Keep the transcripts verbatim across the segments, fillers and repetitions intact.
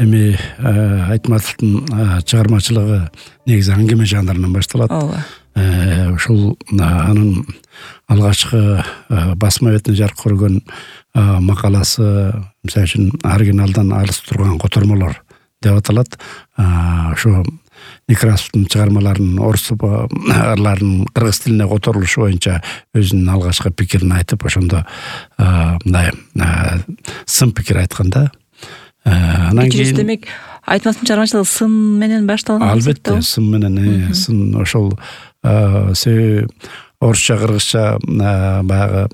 эми Айтматовдун чыгармачылыгы негизи аңгеме жанрынан башталат. Ооба. Ушул анын алгачкы басма бетине жарык көргөн макаласы, мисалы үчүн оригиналдан алыс турган котормолор деп аталат. Ошо Некрасовдун чыгармаларынын орустарлардын кыргыз тилине которулушу боюнча өзүнүн алгачкы пикирин айтып, ошондо мындай сын пикир айткан да. Анан кийин демек Айтматовдун чыгармачылыгы сын менен башталган. Албетте, сын менен, сын ошол себеби орусча кыргызча баягы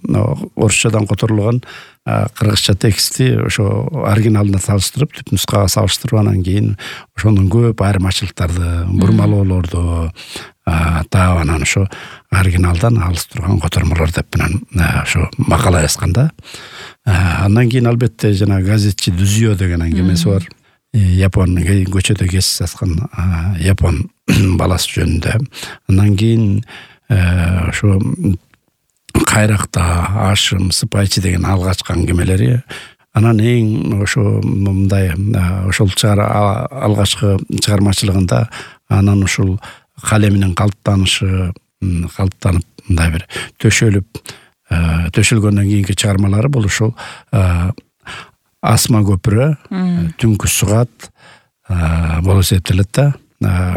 орусчадан которулган кыргызча тексти ошо оригиналына салыштырып, түп нускага салыштырып, анан кийин ошонун көп айырмачылыктарды, бурмалоолорду таап, анан ошо оригиналдан алыс турган котормолор деп менен ошо макала жазган да. Андан кийин албетте жана газетчи Дүзүйө деген аңгемеси бар. Япон көчөдө кесип саткан япон баласы жөнүндө. Андан кийин ошо Кайракта Ашым, Сыпайчы деген алгачкы аңгемелери. Анан эң ошо мындай ошол алгачкы чыгармачылыгында анан ушул калеминин калыптанышы, калыптанып мындай бир төшөлүп, төшөлгөндөн кийинки чыгармалары бул ушул Асма көпүрө, Түнкү сугат болуп эсептелет да.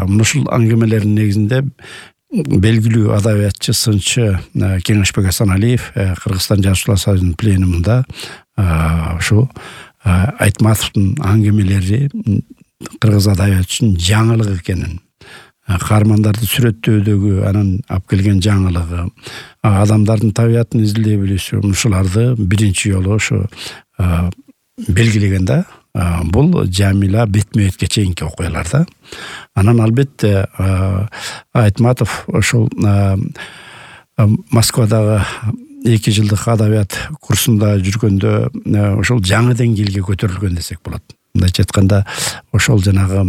Ушул аңгемелердин негизинде белгилүү адабиятчы, сынчы Кеңешбек Асаналиев Кыргызстан жазуучулар союзунун пленумунда ушул Айтматовдун аңгемелери кыргыз адабияты үчүн жаңылык экенин, каармандарды сүрөттөөдөгү анан алып келген жаңылыгы, адамдардын табиятын изилдей билүүсү, ушуларды биринчи жолу ошо белгилеген да. Бул Жамила бетме-бетке чейинки окуялар да. Анан албетте Айтматов ошол Москвадагы эки жылдык адабият курсунда жүргөндө ошол жаңы деңгээлге көтөрүлгөн десек болот. Мындайча айтканда, ошол жанагы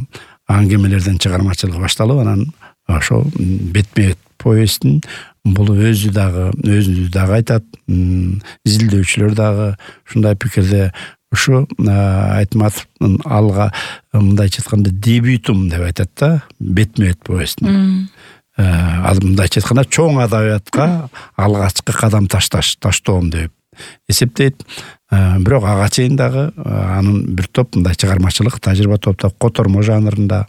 аңгемелерден чыгармачылыгы башталып, анан ошол бетме-бет повестин бул өзү дагы өзү дагы айтат, изилдөөчүлөр дагы ушундай пикирде. Ушу Айтматовдун алга мындайча айтканда дебютум деп айтат да, бетме-бет повестин. Мындайча айтканда чоң адабиятка алгачкы кадам ташташ, таштоом деп эсептейт. Бирок ага чейин дагы анын бир топ мындай чыгармачылык тажрыйба топтоп, котормо жанрында,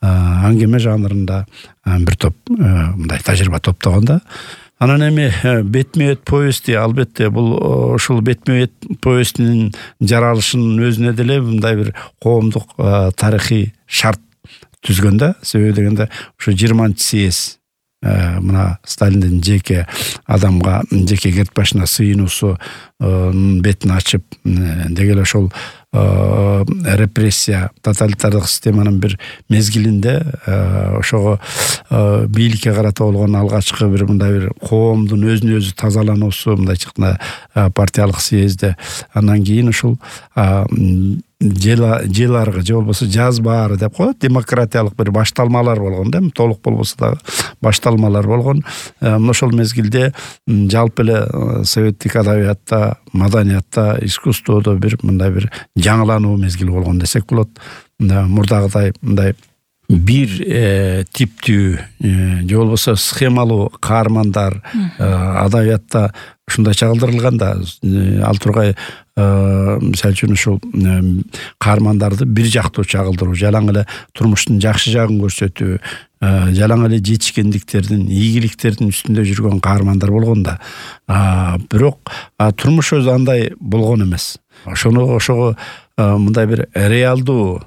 аңгеме жанрында бир топ мындай тажрыйба топтогон да. Анан эми бетме-бет повести албетте бул ушул бетме-бет повестинин жаралышынын өзүнө деле мындай бир коомдук тарыхый шарт түзгөн да. Себеби дегенде ушу жыйырманчы съезд мына Сталиндин жеке адамга, жеке керт башына сыйынуусу бетин ачып, деги ошол репрессия, тоталитардык системанын бир мезгилинде ошого бийликке карата болгон алгачкы бир мындай бир коомдун өзүн өзү тазалануусу, мындайча айтканда партиялык съездде. Андан кийин ушул желаргы же болбосо жаз баары деп коет, демократиялык бир башталмалар болгон да, толук болбосо дагы башталмалар болгон. Ошол мезгилде жалпы эле советтик адабиятта, маданиятта, искусстводо бир мындай бир жаңылануу мезгили болгон десек болот. Мурдагыдай мындай бир типтүү же болбосо схемалуу каармандар адабиятта ушундай чагылдырылган да. Ал тургай мисалы үчүн ушул каармандарды бир жактуу чагылдыруу, жалаң эле турмуштун жакшы жагын көрсөтүү, жалаң эле жетишкендиктердин, ийгиликтердин үстүндө жүргөн каармандар болгон да. Бирок турмуш өзү андай болгон эмес. Ошону ошого мындай бир реалдуу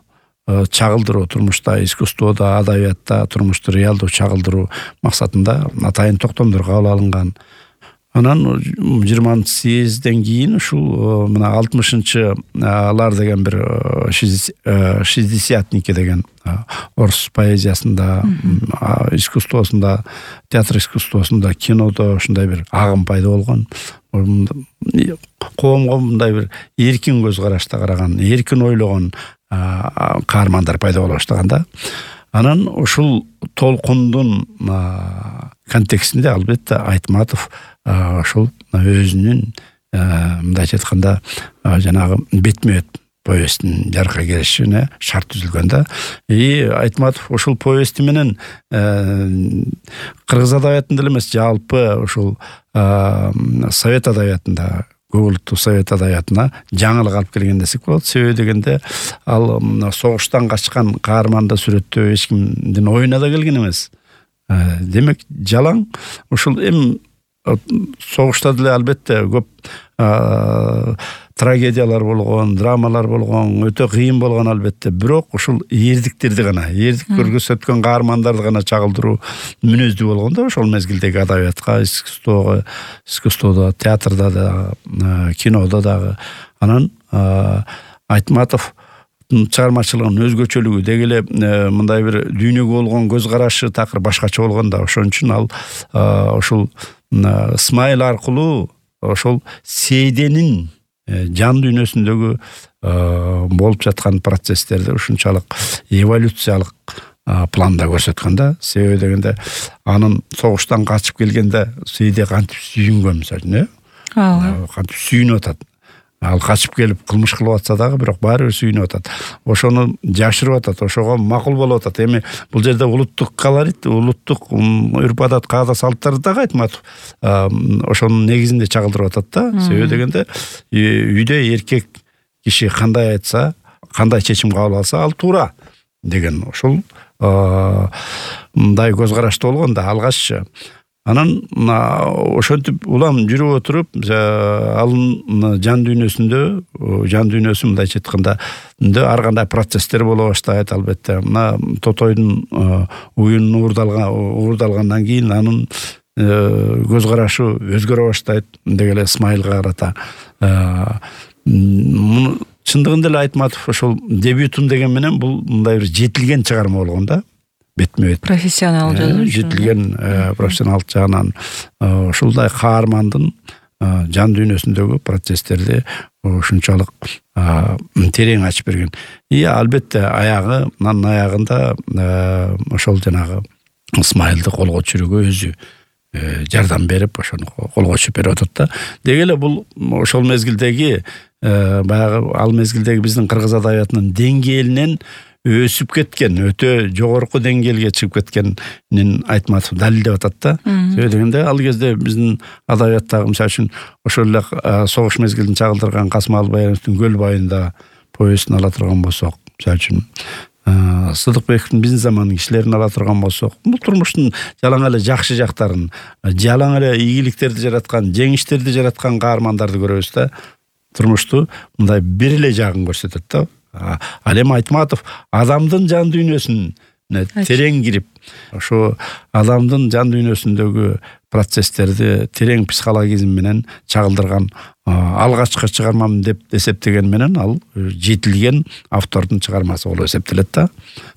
чагылдыруу, турмушта, искусстводо, адабиятта турмушту реалдуу чагылдыруу максатында атайын токтомдор кабыл алынган. Анан жыйырманчы съездден кийин ушул мына алтымышынчы алар деген бир шестидесятники деген орус поэзиясында, искусствосунда, театр искусствосунда, кинодо ушундай бир агым пайда болгон. Коомго мындай бир эркин көз карашта караган, эркин ойлогон каармандар пайда боло баштаган да. Анан ушул толкундун контекстинде албетте Айтматов ошол өзүнүн мындайча айтканда жанагы бетме-бет повесттин жарыкка келишине шарт түзүлгөн да. И Айтматов ошол повести менен кыргыз адабиятында эле эмес, жалпы ошол совет адабиятында, көп улуттуу совет адабиятына жаңылык алып келген десек болот. Себеби дегенде ал согуштан качкан каарманды сүрөттөө эч кимдин оюна да келген эмес. Демек жалаң ушул эми согушта деле албетте көп трагедиялар болгон, драмалар болгон, өтө кыйын болгон албетте. Бирок ушул эрдиктерди гана, эрдик көргөзөткөн каармандарды гана чагылдыруу мүнөздүү болгон да ошол мезгилдеги адабиятка, искусствого, искусстводо, театрда да, кинодо дагы. Анан Айтматов чыгармачылыгынын өзгөчөлүгү деги эле мындай бир дүйнөгө болгон көз карашы такыр башкача болгон да. Ошон үчүн ал ошол Исмайыл аркылуу ошол Сейденин жан дүйнөсүндөгү болуп жаткан процесстерди ушунчалык эволюциялык планда көрсөткөн да. Себеби дегенде анын согуштан качып келгенде Сейде кантип сүйүнгөн, мисалы, э? Кантип сүйүнүп атат. Ал качып келип кылмыш кылып атса дагы, бирок баары бир сүйүнүп атат. Ошону жашырып атат, ошого макул болуп атат. Эми бул жерде улуттук колорит, улуттук үрп-адат, каада салттарды дагы Айтматов ошонун негизинде чагылдырып атат да. Себеби дегенде үйдө эркек киши кандай айтса, кандай чечим кабыл алса, ал туура деген ошол мындай көз карашты болгон да алгаччы. Анан ошентип улам жүрүп отуруп, анын жан дүйнөсүндө, жан дүйнөсү мындайча айтканда ар кандай процесстер боло баштайт албетте. Мына Тотойдун уюнун уурдалган уурдалгандан кийин анын көз карашы өзгөрө баштайт деги эле Исмайылга карата. Чындыгында эле Айтматов ошол дебютун деген менен бул мындай бир жетилген чыгарма болгон да. Бетме-бет профессионал жазуу жетилген профессионал жагынан ушулдай каармандын жан дүйнөсүндөгү процесстерди ушунчалык терең ачып берген. И албетте аягы, анын аягында ошол жанагы Исмайылды колго түшүрүүгө өзү жардам берип, ошону колго түшүрүп берип атат да. Деги эле бул ошол мезгилдеги баягы ал мезгилдеги биздин кыргыз адабиятынын деңгээлинен өсүп кеткен, өтө жогорку деңгээлге чыгып кеткенин Айтматов далилдеп атат да. Себеби дегенде ал кезде биздин адабияттагы мисалы үчүн ошол эле согуш мезгилин чагылдырган Касымалы Баяновдун Көл байында повестин ала турган болсок, мисалы үчүн Сыдыкбековдун Биздин замандын кишилерин ала турган болсок, бул турмуштун жалаң эле жакшы жактарын, жалаң эле ийгиликтерди жараткан, жеңиштерди жараткан каармандарды көрөбүз да. Турмушту мындай бир эле жагын көрсөтөт да. Ал эми Айтматов адамдын жан дүйнөсүнө терең кирип, ошо адамдын жан дүйнөсүндөгү процесстерди терең психологизм менен чагылдырган алгачкы чыгармам деп эсептеген менен ал жетилген автордун чыгармасы болуп эсептелет да.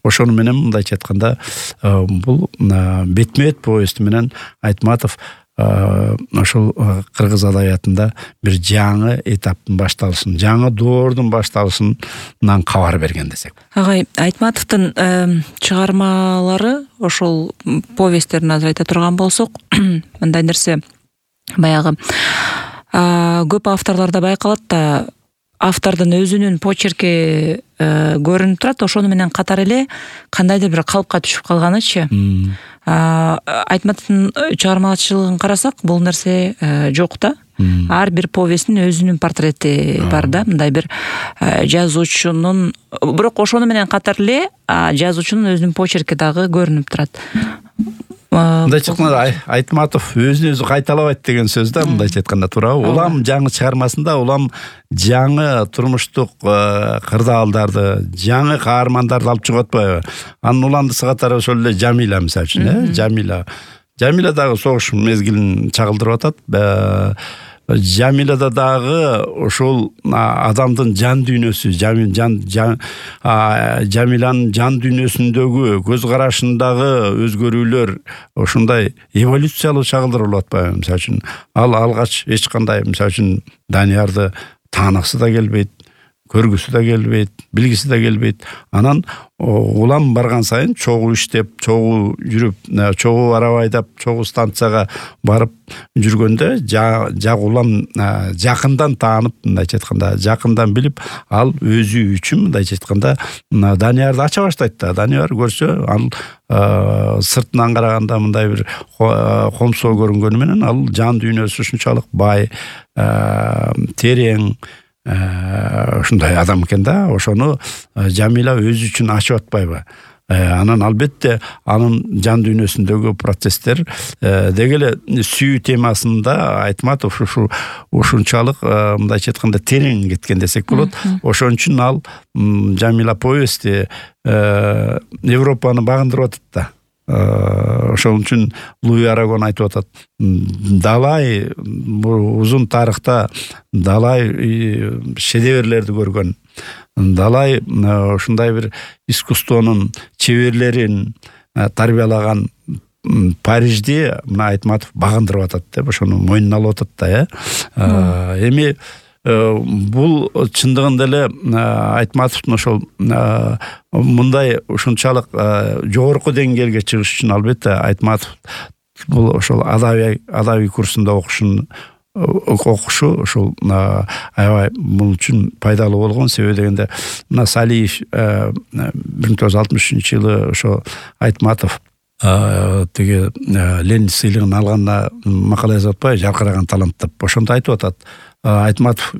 Ошону менен мындайча айтканда бул бетме-бет повести менен Айтматов ошол кыргыз адабиятында бир жаңы этаптын башталышын, жаңы доордун башталышынан кабар берген десек. Агай, Айтматовдун чыгармалары, ошол повесттерин азыр айта турган болсок, мындай нерсе баягы көп авторлордо байкалат да, автордун өзүнүн почерки көрүнүп турат, ошону менен катар эле кандайдыр бир калыпка түшүп калганычы. Айтматовдун чыгармачылыгын карасак, бул нерсе жок да. Ар бир повесттин өзүнүн портрети бар да, мындай бир жазуучунун, бирок ошону менен катар эле жазуучунун өзүнүн почерки дагы көрүнүп турат. Мындайча айтканда Айтматов өзүн өзү кайталабайт деген сөз да, мындайча айтканда туурабы. Улам жаңы чыгармасында улам жаңы турмуштук кырдаалдарды, жаңы каармандарды алып чыгып атпайбы? Анын уландысы катары ошол эле Жамила мисалы үчүн, э? Жамила. Жамила дагы согуш мезгилин чагылдырып атат. Жамилада дагы ошол адамдын жан дүйнөсү, жан Жамиланын жан дүйнөсүндөгү көз карашындагы өзгөрүүлөр ошондой эволюциялуу чагылдырылып атпайбы? Мисалы үчүн ал алгач эч кандай, мисалы үчүн Даниярды тааныксы да келбейт, көргүсү да келбейт, билгиси да келбейт. Анан улам барган сайын чогуу иштеп, чогуу жүрүп, чогуу арaba айдап, чогуу станцияга барып жүргөндө жак улам жакындан таанып, мындайча айтканда, жакындан билип, ал өзү үчүн мындайча айтканда Даниярды ача баштайт да. Данияр көрсө, ал сыртынан караганда мындай бир комсоо көрүнгөнү менен ал жан дүйнөсү ушунчалык бай, терең, ушундай адам экен да. Ошону Жамила өзү үчүн ачып атпайбы? Анан албетте анын жан дүйнөсүндөгү процесстер деги эле сүйүү темасында Айтматов ушу ушунчалык мындайча айтканда терең кеткен десек болот. Ошон үчүн ал Жамила повести Европаны багындырып атат да. Ошон үчүн Луи Арагон айтып атат, далай узун тарыхта далай шедеврлерди көргөн, далай ушундай бир искусствонун чеберлерин тарбиялаган Парижди мына Айтматов багындырып атат деп ошону мойнуна алып атат да. Эми бул чындыгында эле Айтматовдун ошол мындай ушунчалык жогорку деңгээлге чыгыш үчүн албетте Айтматов бул ошол адабий адабий курсунда окушун окушу ошол аябай бул үчүн пайдалуу болгон. Себеби дегенде мына Салиев бир миң тогуз жүз алтымыш үчүнчү жылы ошо Айтматов тиги Ленин сыйлыгын алганына макала жазып атпайбы, жаркыраган талант деп. Ошондо айтып атат. Айтматов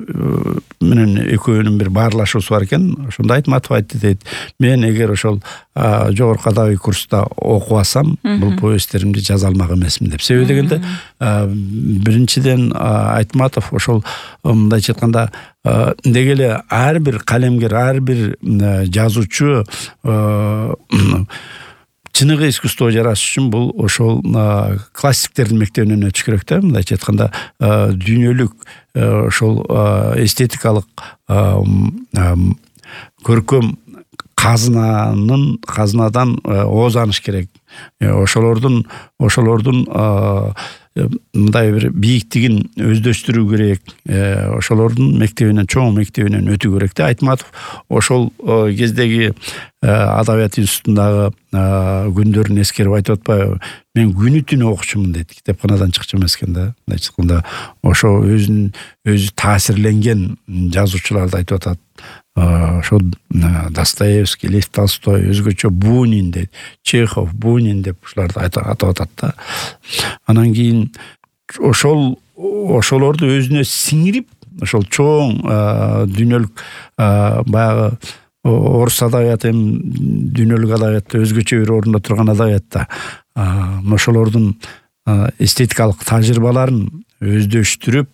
менен экөөнүн бир баарлашуусу бар экен. Ошондо Айтматов айтты дейт, мен эгер ошол жогорку адабий курста окуп алсам, бул повесттеримди жаза алмак эмесмин деп. Себеби дегенде биринчиден Айтматов ошол мындайча айтканда деги эле ар бир калемгер, ар бир жазуучу чыныгы искусство жаратыш үчүн бул ошол классиктердин мектебинен өтүш керек да. Мындайча айтканда дүйнөлүк ошол эстетикалык көркөм казынанын казынадан оозаныш керек. Ошолордун ошолордун мындай бир бийиктигин өздөштүрүү керек. Ошолордун мектебинен, чоң мектебинен өтүү керек да. Айтматов ошол кездеги адабият институтундагы күндөрүн эскерип айтып атпайбы? Мен күнү түнү окучумун дейт. Китепканадан чыкчу эмес экен да. Мындайча айтканда ошо өзүнүн өзү таасирленген жазуучуларды айтып атат. Ошо Достоевский, Лев Толстой, өзгөчө Бунин дейт, Чехов, Бунин деп ушуларды атап атат да. Анан кийин ошол ошолорду өзүнө сиңирип, ошол чоң дүйнөлүк баягы орус адабияты эми дүйнөлүк адабиятта өзгөчө бир орунда турган адабиятта ошолордун эстетикалык тажрыйбаларын өздөштүрүп,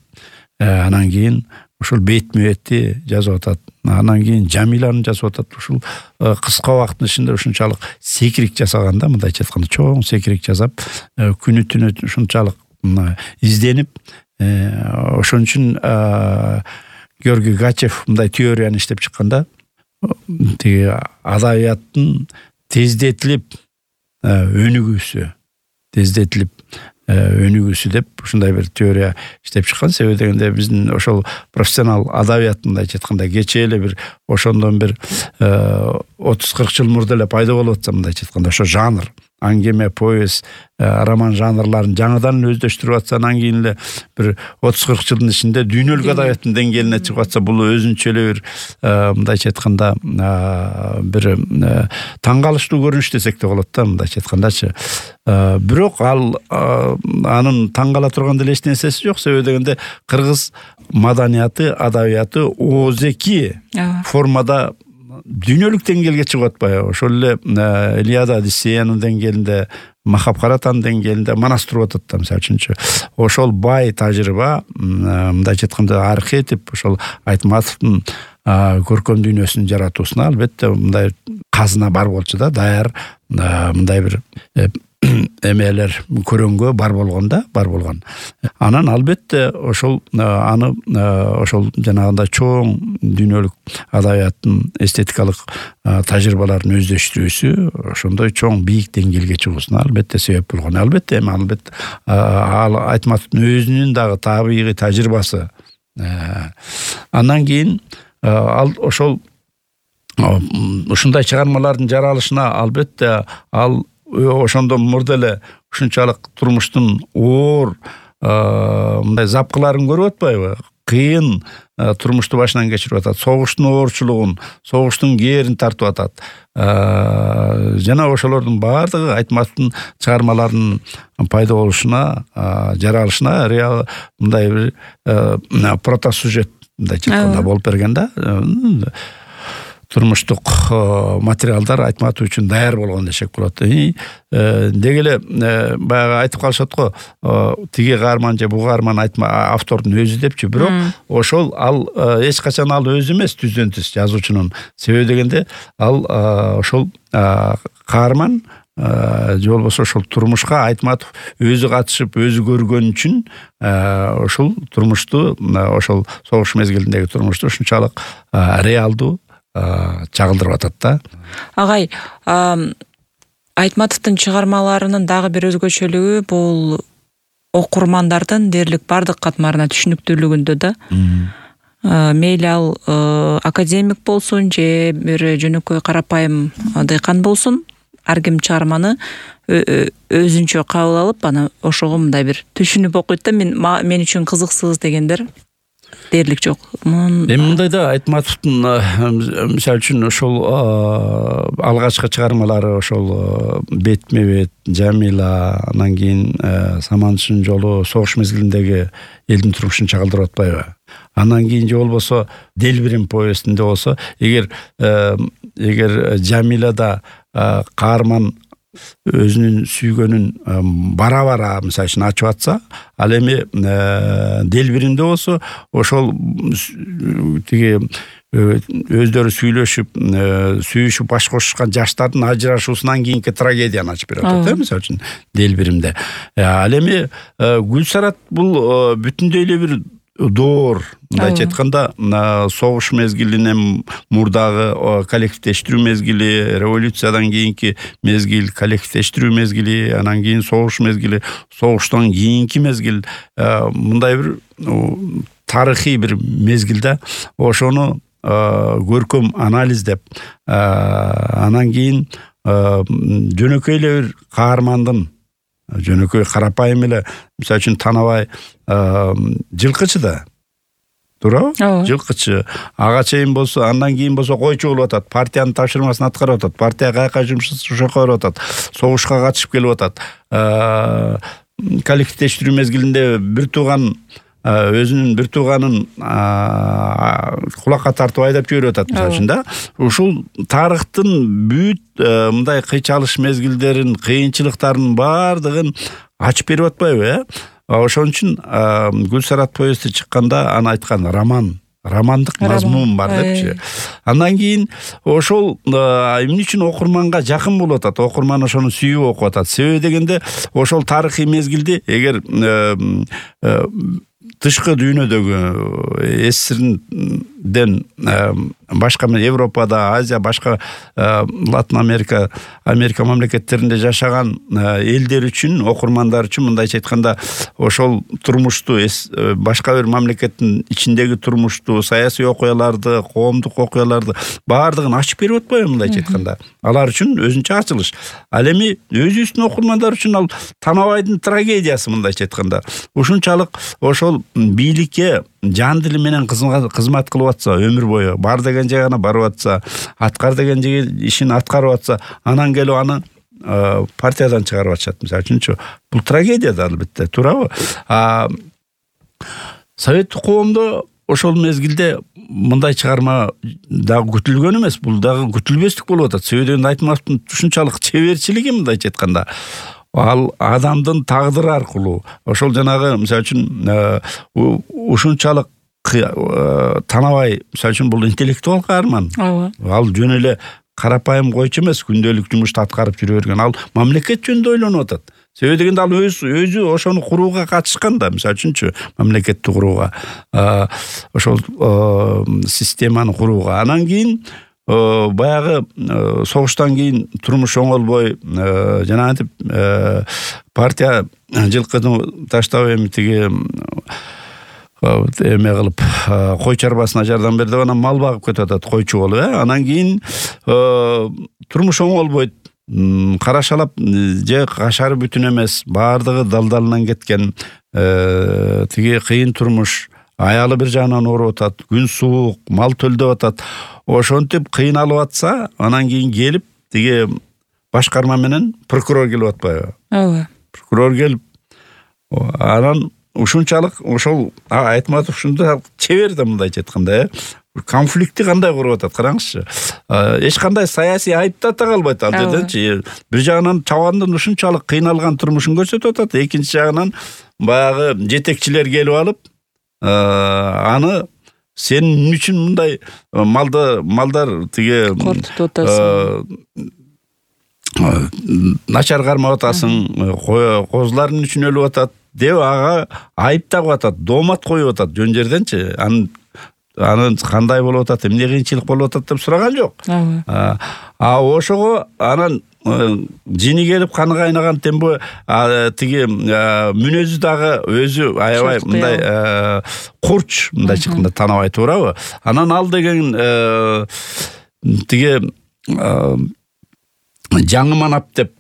анан кийин ушул бетме бетти жазып атат. Анан кийин Жамиланы жазып атат. Ушул кыска убакыттын ичинде ушунчалык секирик жасаганда, мындайча айтканда чоң секирик жасап, күнү түнү ушунчалык изденип, ошон үчүн Георгий Гачев мындай теорияны иштеп чыкканда, тиги адабияттын тездетилип өнүгүүсү, тездетилип өнүгүүсү деп ушундай бир теория иштеп чыккан. Себеби дегенде биздин ошол профессионал адабият мындайча айтканда кечээ эле бир ошондон бир отуз кырк жыл мурда эле пайда болуп атса, мындайча айтканда ошо жанр, аңгеме, повесть, роман жанрларын жаңыдан өздөштүрүп атса, анан кийин эле бир отуз кырк жылдын ичинде дүйнөлүк адабияттын деңгээлине чыгып атса, бул өзүнчө эле бир мындайча айтканда бир таң калыштуу көрүнүш десек да болот да, мындайча айткандачы. Бирок ал анын таң кала турган деле эч нерсеси жок. Себеби дегенде кыргыз маданияты, адабияты оозеки формада дүйнөлүк деңгээлге чыгып атпайбы? Ошол эле Илиада, Одиссеянын деңгээлинде, Махабхаратанын деңгээлинде манас туруп атат да. Мисалы үчүнчү, ошол бай тажрыйба, мындайча айтканда архетип, ошол Айтматовдун көркөм дүйнөсүн жаратуусуна албетте мындай казына бар болчу да, даяр мындай бир эмелер көрөнгө бар болгон да, бар болгон. Анан албетте ошол аны ошол жанагындай чоң дүйнөлүк адабияттын эстетикалык тажрыйбаларын өздөштүрүүсү ошондой чоң бийик деңгээлге чыгуусуна албетте себеп болгон. Албетте эми албетте ал Айтматовдун өзүнүн дагы табигый тажрыйбасы. Андан кийин ал ошол ушундай чыгармалардын жаралышына албетте ал ошондон мурда эле ушунчалык турмуштун оор мындай запкыларын көрүп атпайбы? Кыйын турмушту башынан кечирип атат, согуштун оорчулугун, согуштун кээрин тартып атат. Жана ошолордун баардыгы Айтматовдун чыгармаларынын пайда болушуна, жаралышына реал мындай бир протосюжет мындай чыкканда болуп берген да. Турмуштук материалдар Айтматов үчүн даяр болгон десек болот. Деги эле баягы айтып калышат го, тиги каарман же бул каарман автордун өзү депчи, бирок ошол ал эч качан ал өзү эмес, түздөн түз жазуучунун. Себеби дегенде ал ошол каарман же болбосо ошол турмушка Айтматов өзү катышып, өзү көргөн үчүн ошол турмушту, ошол согуш мезгилиндеги турмушту ушунчалык реалдуу чагылдырып атат да. Агай, Айтматовдун чыгармаларынын дагы бир өзгөчөлүгү бул окурмандардын дээрлик бардык катмарына түшүнүктүүлүгүндө да. Мейли ал академик болсун же бир жөнөкөй карапайым дыйкан болсун, ар ким чыгарманы өзүнчө кабыл алып, анан ошого мындай бир түшүнүп окуйт да. Мен мен үчүн кызыксыз дегендер дээрлик жок. Эми мындай да, Айтматовдун мисалы үчүн ошол алгачкы чыгармалары ошол Бетме бет, Жамила, анан кийин Самандын жолу, согуш мезгилиндеги элдин турмушун чагылдырып атпайбы? Андан кийин же болбосо Делбирим повестинде болсо, эгер эгер Жамилада каарман өзүнүн сүйгөнүн бара-бара мисалы үчүн ачып атса, ал эми Делбиримде болсо ошол тиги өздөрү сүйлөшүп, сүйүшүп баш кошушкан жаштардын ажырашуусунан кийинки трагедияны ачып берип атат, мисалы үчүн Делбиримде. Ал эми Гүлсарат бул бүтүндөй эле бир доор, мындайча айтканда, согуш мезгилинен мурдагы коллективдештирүү мезгили, революциядан кийинки мезгил, коллективдештирүү мезгили, анан кийин согуш мезгили, согуштан кийинки мезгил, мындай бир тарыхый бир мезгилде ошону көркөм анализдеп, анан кийин жөнөкөй эле бир каармандын, жөнөкөй карапайым эле, мисалы үчүн Танабай жылкычы да, туурабы? Жылкычы. Ага чейин болсо, андан кийин болсо койчу болуп атат, партиянын тапшырмасын аткарып атат, партия каяка жумуш ошоко барып атат, согушка катышып келип атат. Коллективдештирүү мезгилинде бир тууган өзүнүн бир тууганын кулакка тартып айдап жиберип атат, мисалы үчүн да. Ушул тарыхтын бүт мындай кыйчалыш мезгилдерин, кыйынчылыктарын баардыгын ачып берип атпайбы, э? Ошон үчүн Гүлсарат повести чыкканда аны айткан роман, романдык мазмун бар депчи. Андан кийин ошол эмне үчүн окурманга жакын болуп атат, окурман ошону сүйүп окуп атат. Себеби дегенде ошол тарыхый мезгилди эгер тышкы дүйнөдөгү СССРден башка Европада, Азия, башка Латын Америка, Америка мамлекеттеринде жашаган элдер үчүн, окурмандар үчүн мындайча айтканда ошол турмушту, башка бир мамлекеттин ичиндеги турмушту, саясий окуяларды, коомдук окуяларды баардыгын ачып берип атпайбы мындайча айтканда. Алар үчүн өзүнчө ачылыш. Ал эми өзүбүздүн окурмандар үчүн ал Танабайдын трагедиясы мындайча айтканда. Ушунчалык ошол бийликке жан дили менен кызмат кылып атса, өмүр бою бар деген жагына барып атса, аткар деген ишин аткарып атса, анан келип аны партиядан чыгарып атышат, мисалы үчүнчү. Бул трагедия да, албетте, туурабы? Советтик коомдо ошол мезгилде мындай чыгарма дагы күтүлгөн эмес, бул дагы күтүлбестик болуп атат. Себеби дегенде Айтматовдун ушунчалык чеберчилиги, мындайча айтканда, ал адамдын тагдыры аркылуу, ошол жанагы мисалы үчүн ушунчалык Танабай, мисалы үчүн бул интеллектуал каарман. Ал жөн эле карапайым койчу эмес, күндөлүк жумушту аткарып жүрө берген. Ал мамлекет жөнүндө ойлонуп атат. Себеби дегенде ал өз өзү ошону курууга катышкан да, мисалы үчүнчү, мамлекетти курууга, ошол системаны курууга. Анан кийин баягы согуштан кийин турмуш оңолбой, жана антип партия жылкыны таштап эми тиги эме кылып кой чарбасына жардам бер деп анан мал багып кетип атат, койчу болуп, э анан кийин турмуш оңолбойт. Карашалап же кашары бүтүн эмес, баардыгы далдалынан кеткен, тиги кыйын турмуш, аялы бир жагынан ооруп атат, күн суук, мал төлдөп атат. Ошентип кыйналып атса, анан кийин келип тиги башкарма менен прокурор келип атпайбы? Ооба. Прокурор келип, анан ушунчалык ошол Айтматов ушунда чебер да, мындайча айтканда, э конфликтти кандай куруп атат, караңызчы. Эч кандай саясий айыптата калбайт ал жерденчи. Бир жагынан чабандын ушунчалык кыйналган турмушун көрсөтүп атат, экинчи жагынан баягы жетекчилер келип алып, аны сен эмне үчүн мындай малды малдар тиги кортутуп атасың, начар кармап атасың, козуларың үчүн өлүп атат деп ага айыптап атат, доомат коюп атат жөн жерденчи. Анын анын кандай болуп атат, эмне кыйынчылык болуп атат деп сураган жок. А ошого анан жини келип каны кайнаган тембо тиги мүнөзү дагы өзү аябай мындай курч, мындайча айтканда танабай туурабы. Анан ал деген тиги жаңы манап деп,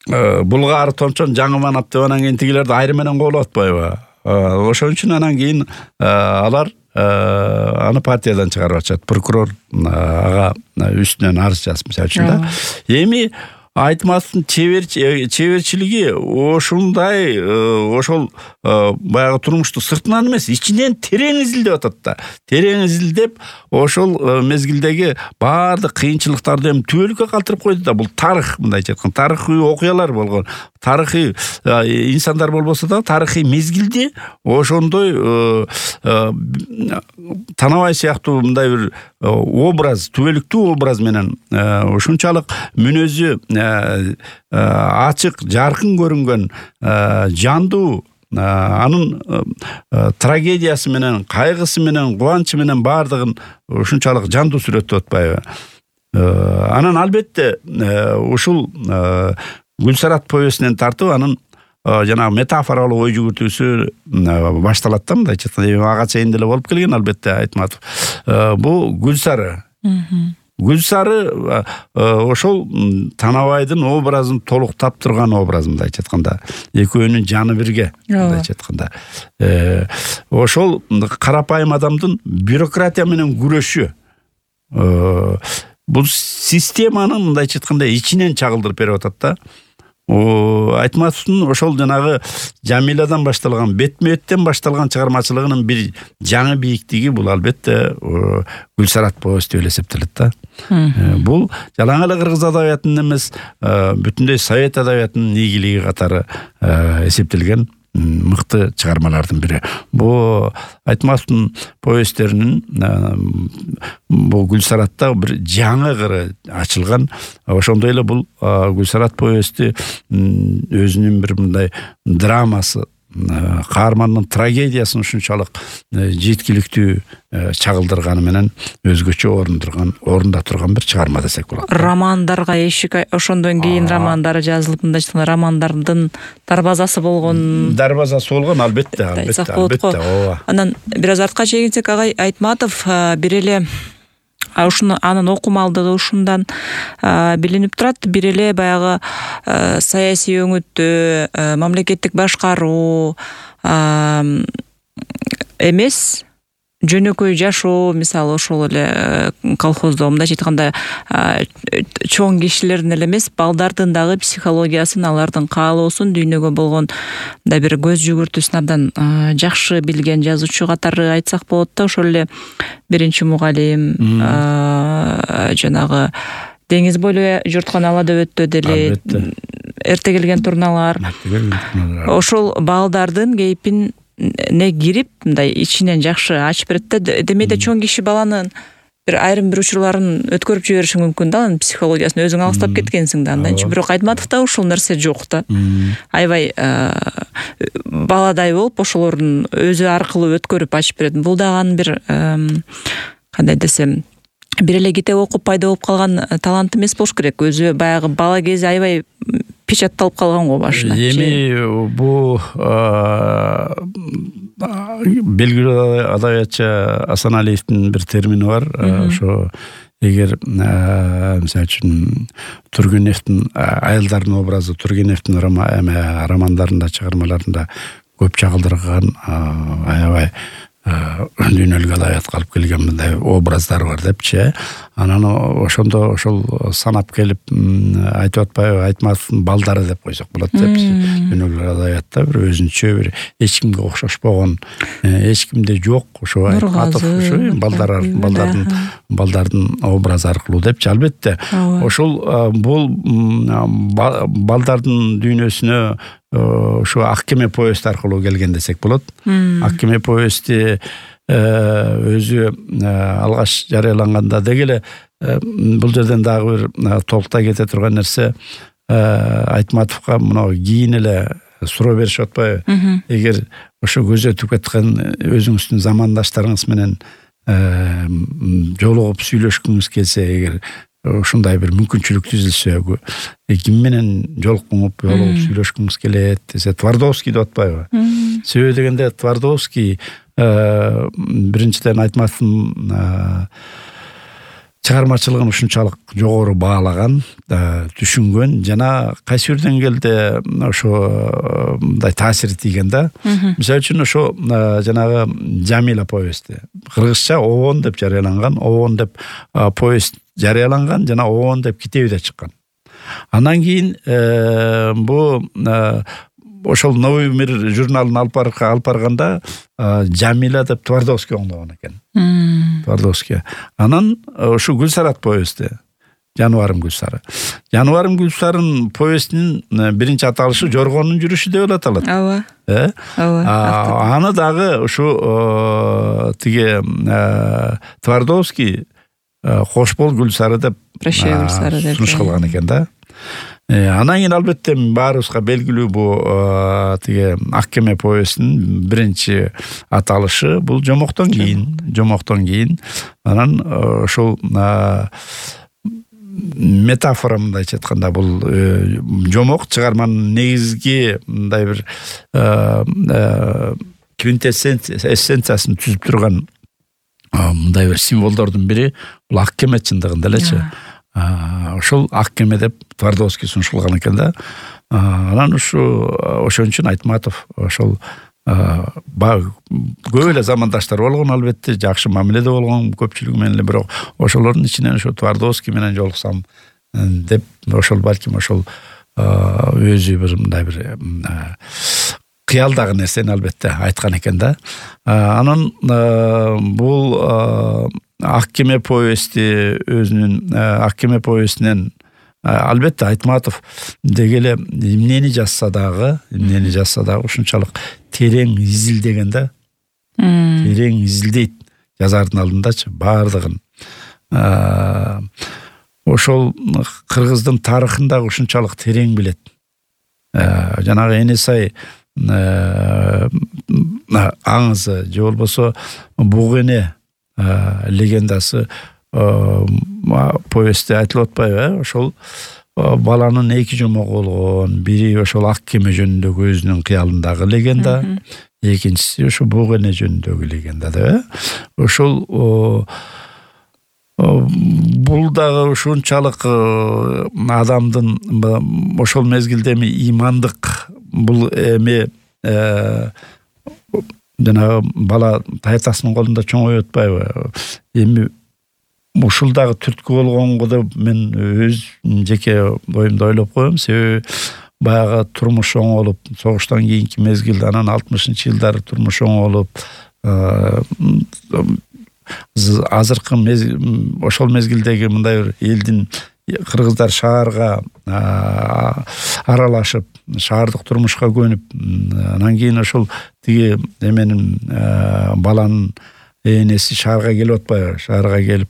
булгаары томчон жаңы манап деп, анан кийин тигилерди айрым менен коолуп атпайбы? Ошон үчүн анан кийин алар аны партиядан чыгарып атышат. Прокурор ага үстүнөн арыз жазып, мисалы үчүн да. Эми Айтматовдун чеберчилиги ошундай, ошол баягы турмушту сыртынан эмес, ичинен терең изилдеп атат да. Терең изилдеп, ошол мезгилдеги баардык кыйынчылыктарды эми түбөлүккө калтырып койду да. Бул тарых, мындайча айтканда, тарыхый окуялар болгон. Тарыхый инсандар болбосо да, тарыхый мезгилди ошондой Танабай сыяктуу мындай бир образ, түбөлүктүү образ менен ушунчалык мүнөзү ачык, жаркын көрүнгөн, жандуу, анын трагедиясы менен, кайгысы менен, кубанычы менен баардыгын ушунчалык жандуу сүрөттөп атпайбы? Анан албетте ушул Гүлсарат повестинен тартып, анын жанагы метафоралык ой жүгүртүүсү башталат да, мындайча айтканда, ага чейин деле болуп келген албетте Айтматов. Бул Гүлсары. Гүлсары ошол Танабайдын образын толуктап турган образ, мындайча айтканда. Экөөнүн жаны бирге, мындайча айтканда. Ошол карапайым адамдын бюрократия менен күрөшү. Бул системаны мындайча айтканда ичинен чагылдырып берип атат да. Айтматовдун ошол жанагы Жамиладан башталган, бетме-беттен башталган чыгармачылыгынын бир жаңы бийиктиги бул албетте Гүлсарат повести деп эсептелет да. Бул жалаң эле кыргыз адабиятынын эмес, бүтүндөй совет адабиятынын ийгилиги катары эсептелген мыкты чыгармалардын бири. Бул Айтматовдун повесттеринин бул Гүлсаратта бир жаңы кыры ачылган. Ошондой эле бул Гүлсарат повести өзүнүн бир мындай драмасы, каармандын трагедиясын ушунчалык жеткиликтүү чагылдырганы менен өзгөчө орындурган, орунда турган бир чыгарма десек болот. Романдарга эшик, ошондон кийин романдары жазылып, мындайча айтканда романдардын дарбазасы болгон. Дарбазасы болгон, албетте, албетте, албетте. Ооба. Анан бир аз артка чегинсек, агай Айтматов бир эле ушуну анын окумалдыгы ушундан билинип турат. Бир эле баягы саясий өңүттө, мамлекеттик башкаруу эмес, жөнөкөй жашоо, мисалы ошол эле колхоздо, мындайча айтканда чоң кишилердин эле эмес, балдардын дагы психологиясын, алардын каалоосун, дүйнөгө болгон мындай бир көз жүгүртүүсүн абдан жакшы билген жазуучу катары айтсак болот да. Ошол эле биринчи мугалим, жанагы деңиз бойлой журткан ала дөбөттө деле эрте келген турналар. Ошол балдардын кейпин не кирип, мындай ичинен жакшы ачып берет да. Демейде чоң киши баланын бир айрым бир учурларын өткөрүп жибериши мүмкүн да, анын психологиясын өзүң алыстап кеткенсиң да. Андан бирок Айтматовдо ушул нерсе жок да. Аябай баладай болуп, ошолордун өзү аркылуу өткөрүп ачып берет. Бул дагы анын бир кандай десем, бир эле китеп окуп пайда болуп калган талант эмес болуш керек. Өзү баягы бала кези аябай печатталып калган го башына. Эми бул белгилүү адабиятчы Асаналиевдин бир термини бар. Ошо эгер мисалы үчүн Тургеневдин айылдардын образы Тургеневдин романдарында, чыгармаларында көп чагылдырган аябай дүйнөлүк адабиятка алып келген мындай образдар бар депчи. Анан ошондо ошол санап келип айтып атпайбы, Айтматовдун балдары деп койсок болот деп. Дүйнөлүк адабиятта бир өзүнчө бир эч кимге окшошпогон, эч кимде жок ошо Айтматов ошо балдар балдардын балдардын образы аркылуу депчи. Албетте ошол бул балдардын дүйнөсүнө ошо Ак кеме повесть аркылуу келген десек болот. Ак кеме повести өзү алгаш жарыяланганда деги эле бул жерден дагы бир толкутай кете турган нерсе, Айтматовго мына кийин эле суроо беришип атпайбы? Эгер ошо көзөтүп кеткен өзүңүздүн замандаштарыңыз менен жолугуп сүйлөшкүңүз келсе, эгер ушундай бир мүмкүнчүлүк түзүлсө, ким менен жолукуп жолугуп сүйлөшкүңүз келет десе, Твардовский деп атпайбы? Себеби дегенде Твардовский биринчиден Айтматовдун чыгармачылыгын ушунчалык жогору баалаган, түшүнгөн жана кайсы бир деңгээлде ошо мындай таасири тийген да. Мисалы үчүн ошо жанагы Жамила повести кыргызча Обон деп жарыяланган, Обон деп повесть жарыяланган жана Обон деп китеби да чыккан. Андан кийин бу ошол Новый мир журналын алып алып барганда Жамила деп Твардовский оңдогон экен. Твардовский. Анан ушу Гүлсарат повести, Жаныбарым Гүлсары. Жаныбарым Гүлсарын повестинин биринчи аталышы Жоргонун жүрүшү деп аталат. Ооба. Э? Ооба. Аны дагы ушу тиги Твардовский Кош бол Гүлсары деп Прощай Гүлсары деп сунуш кылган экен да. Анан кийин албетте баарыбызга белгилүү бул тиги Ак кеме повестинин биринчи аталышы бул Жомоктон кийин, Жомоктон кийин. Анан ошол метафора мындайча айтканда бул Жомок чыгарманын негизги мындай бир квинтэссенциясын түзүп турган мындай бир символдордун бири бул Ак кеме чындыгында элечи. Ошол Ак кеме деп Твардовский сунуш кылган экен да. Анан ушу ошон үчүн Айтматов ошол көп эле замандаштар болгон, албетте жакшы мамиледе болгон көпчүлүгү менен эле, бирок ошолордун ичинен ошо Твардовский менен жолуксам деп ошол балким ошол өзү бир мындай бир кыялдагы нерсени албетте айткан экен да. Анан бул Ак кеме повести өзүнүн Ак кеме повестинен албетте Айтматов деги эле эмнени жазса дагы, эмнени жазса дагы ушунчалык терең изилдеген да. Терең изилдейт жазардын алдындачы баардыгын. Ошол кыргыздын тарыхын дагы ушунчалык терең билет. Жанагы Энесай аңызы же болбосо Буг эне легендасы повести айтылып атпайбы? Ошол баланын эки жомогу болгон, бири ошол Ак кеме жөнүндөгү өзүнүн кыялындагы легенда, экинчиси ошо Буг эне жөнүндөгү легенда да. Ошол бул дагы ушунчалык адамдын ошол мезгилде эми имандык бул эми жана бала таятасынын колунда чоңоюп атпайбы? Эми ушул дагы түрткү болгонго деп мен өз жеке оюмду ойлоп коем. Себеби баягы турмуш оңолуп, согуштан кийинки мезгилде, анан алтымышынчы жылдары турмуш оңолуп, азыркы ошол мезгилдеги мындай бир элдин кыргыздар шаарга аралашып, шаардык турмушка көнүп, анан кийин ошол тиги эменин баланын энеси шаарга келип атпайбы? Шаарга келип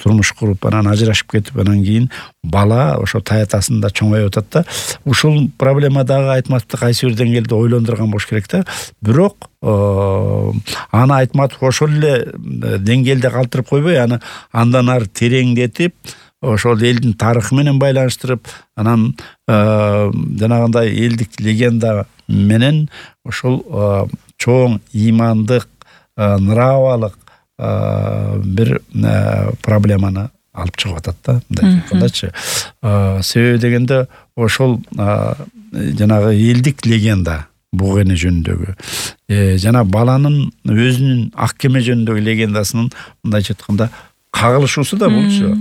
турмуш куруп, анан ажырашып кетип, анан кийин бала ошо таятасында чоңоюп атат да. Ушул проблема дагы Айтматовду кайсы бир деңгээлде ойлондурган болуш керек да. Бирок аны Айтматов ошол эле деңгээлде калтырып койбой, аны андан ары тереңдетип, ошол элдин тарыхы менен байланыштырып, анан жанагындай элдик легенда менен ошол чоң имандык, нравалык бир проблеманы алып чыгып атат да, мындай айткандачы. Себеби дегенде ошол жанагы элдик легенда буга эне жөнүндөгү жана баланын өзүнүн ак кеме жөнүндөгү легендасынын мындайча айтканда кагылышуусу да болчу.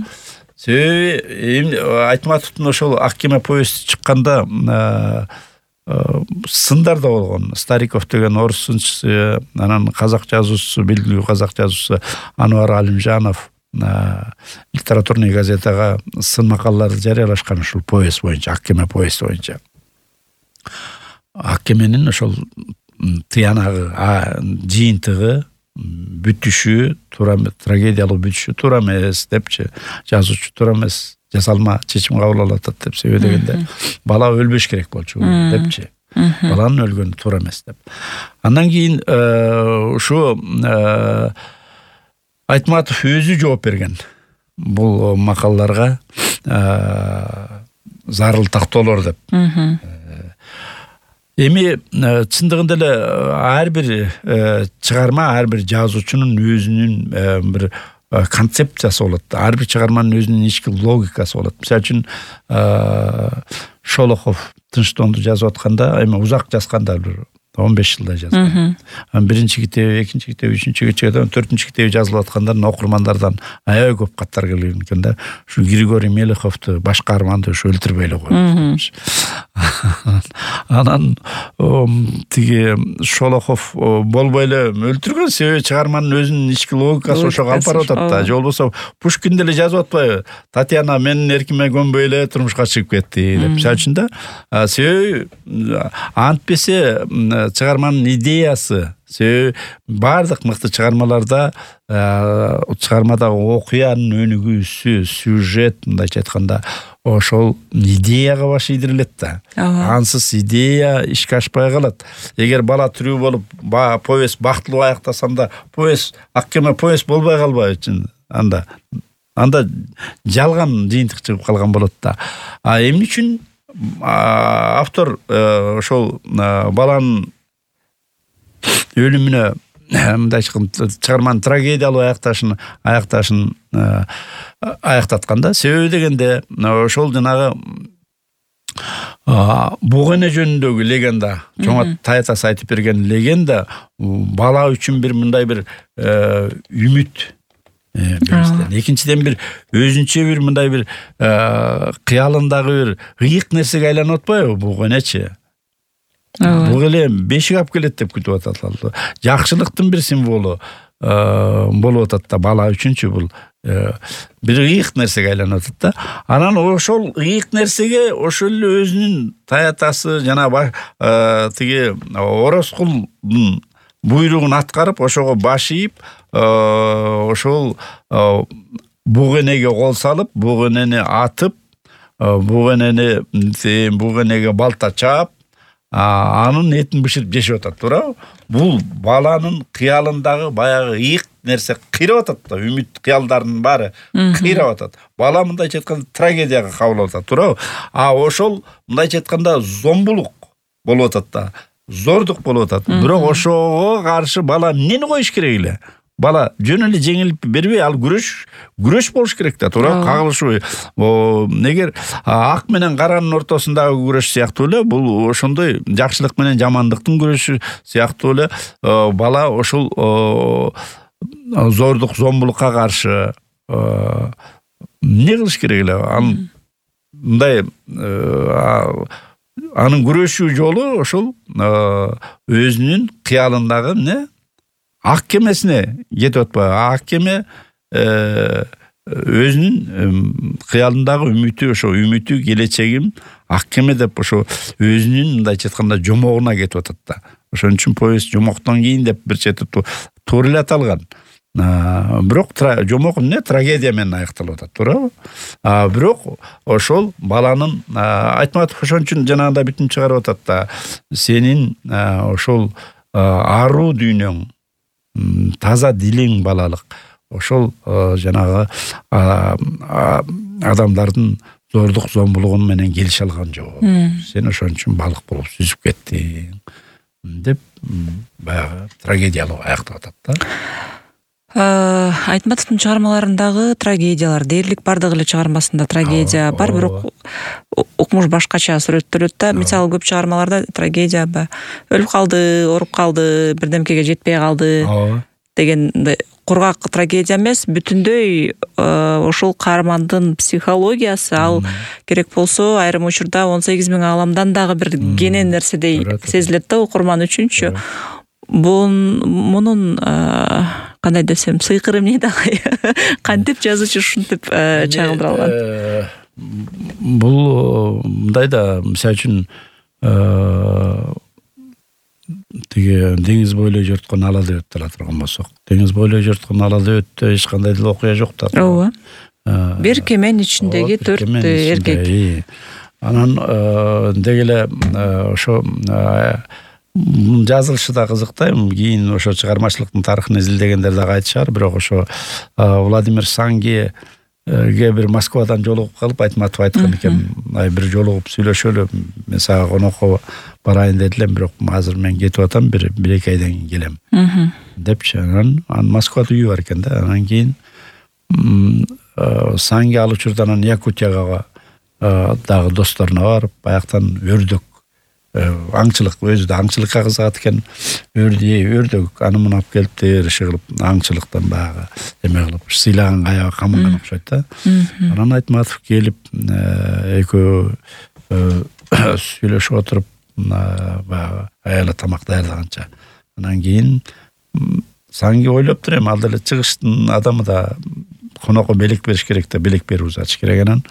Себеби Айтматовдун ошол ак кеме повести чыкканда сындар да болгон. Стариков деген орус сынчысы, анан казак жазуучусу, белгилүү казак жазуучусу Анвар Алимжанов литературный газетага сын макалаларды жарыялашкан ушул повесть боюнча, ак кеме повести боюнча. Ак кеменин ошол тыянагы, жыйынтыгы, бүтүшү туура, трагедиялык бүтүшү туура эмес депчи, жазуучу туура эмес, жасалма чечим кабыл алып атат деп. Себеби дегенде бала өлбөш керек болчу депчи. Баланын өлгөнү туура эмес деп. Андан кийин ушу Айтматов өзү жооп берген бул макалаларга зарыл тактоолор деп. Эми чындыгында эле ар бир чыгарма, ар бир жазуучунун өзүнүн бир концепциясы болот. Ар бир чыгарманын өзүнүн ички логикасы болот. Мисалы үчүн Шолохов Тынчтоонду жазып атканда, эми узак жазганда бир он беш жылдай жазган. Биринчи китеби, экинчи китеби, үчүнчү китеби, төртүнчү китеби жазылып атканда окурмандардан аябай көп каттар келген экен да. Ушу Григорий Мелеховду, баш каарманды ушу өлтүрбөй эле койгон. Анан тиги Шолохов болбой эле өлтүргөн, себеби чыгарманын өзүнүн ички логикасы ошого алып барып атат да. Же болбосо Пушкин деле жазып атпайбы? Татьяна менин эркиме көнбөй эле турмушка чыгып кетти деп. Мисалы үчүн да, себеби антпесе чыгарманын идеясы, себеби бардык мыкты чыгармаларда чыгармадагы окуянын өнүгүүсү, сюжет, мындайча айтканда, ошол идеяга баш ийдирилет да. Ансыз идея ишке ашпай калат. Эгер бала тирүү болуп, повесть бактылуу аяктасам повесть, ак кеме повесть болбой калбайбы? Анда анда жалган жыйынтык чыгып калган болот да. А эмне үчүн автор ошол баланын өлүмүнө мындай чыгарманын трагедиялуу аякташын аякташын аяктатканда, себеби дегенде ошол жанагы буга эне жөнүндөгү легенда, чоң Таятас айтып берген легенда бала үчүн бир мындай бир үмүт, биринчиден, экинчиден бир өзүнчө бир мындай бир кыялындагы бир ыйык нерсеге айланып атпайбы буга энечи? Бул эле бешик алып келет деп күтүп атат. Жакшылыктын бир символу болуп атат да бала үчүнчү, бул бир ыйык нерсеге айланып атат да. Анан ошол ыйык нерсеге ошол эле өзүнүн Таятасы жана тиги Орозкулдун буйругун аткарып, ошого баш ийип, ошол буг энеге кол салып, буг энени атып, буг энени буг энеге балта чаап, анын этин бышырып жешип атат, туурабы? Бул баланын кыялындагы баягы ыйык нерсе кыйрап атат да, үмүт кыялдарынын баары кыйрап атат. Бала мындайча айтканда трагедияга кабыл алып атат, туурабы? А ошол мындайча айтканда зомбулук болуп атат да, зордук болуп атат. Бирок ошого каршы бала эмнени коюш керек эле? Бала жөн эле жеңилип бербей, ал күрөш, күрөш болуш керек да, туура, кагылышуу. Эгер ак менен каранын ортосундагы күрөш сыяктуу эле, бул ошондой жакшылык менен жамандыктын күрөшү сыяктуу эле бала ошол зордук, зомбулукка каршы эмне кылыш керек эле? Анын мындай анын күрөшүү жолу ошол өзүнүн кыялындагы эмне? Ак кемесине кетип атпайбы? Ак кеме өзүнүн кыялындагы үмүтү, ошо үмүтү, келечегим ак кеме деп ошо өзүнүн мындайча айтканда жомогуна кетип атат да. Ошон үчүн повесть жомоктон кийин деп бир чети туура эле аталган. Бирок жомок эмне? Трагедия менен аякталып атат, туурабы? Бирок ошол баланын Айтматов ошон үчүн жанагындай бүтүн чыгарып атат да. Сенин ошол аруу дүйнөң, таза дилиң балалык, ошол жанагы адамдардын зордук зомбулугу менен келише алган жок. Сен ошон үчүн балык болуп сүзүп кеттиң деп баягы трагедиялуу аяктап атат да. Айтматовдун чыгармаларындагы трагедиялар дээрлик бардык эле чыгармасында трагедия бар, бирок укмуш башкача сүрөттөлөт да. Мисалы көп чыгармаларда трагедия өлүп калды, ооруп калды, бирдемкеге жетпей калды деген кургак трагедия эмес, бүтүндөй ошол каармандын психологиясы, ал керек болсо айрым учурда он сегиз миң ааламдан дагы бир кенен нерседей сезилет да окурман үчүнчү. Мунун кандай десем, сыйкыры эмне дагы? Кантип жазуучу ушинтип чагылдыра алган? Бул мындай да, мисалы үчүн тиги деңиз бойлой жорткон ала дөбөттү ала турган болсок, деңиз бойлой жорткон ала дөбөттө эч кандай деле окуя жок да. Ооба. Бир кеменин ичиндеги төрт эркек. Анан деги эле ошо жазылышы да кызык да. Кийин ошо чыгармачылыктын тарыхын изилдегендер дагы айтышар, бирок ошо Владимир Сангиге бир Москвадан жолугуп калып, Айтматов айткан экен, ай бир жолугуп сүйлөшөлү, мен сага конокко барайын дедилем, бирок азыр мен кетип атам, бир бир эки айдан кийин келем депчи. Анан Москвада үйү бар экен да. Анан кийин Санги ал учурда анан Якутияга дагы досторуна барып, баяктан өрдөк аңчылык, өзү да аңчылыкка кызыгат экен. Өрдү, өрдөк аны муну алып келиптир, иши кылып, аңчылыктан баягы эме кылып, сыйлаган кая камынган окшойт да. Анан Айтматов келип, экөө сүйлөшүп отуруп, баягы аяла тамак даярдаганча. Анан кийин Санги ойлоптур, эми ал деле чыгыштын адамы да, конокко белек бериш керек да, белек берип узатыш керек. Анан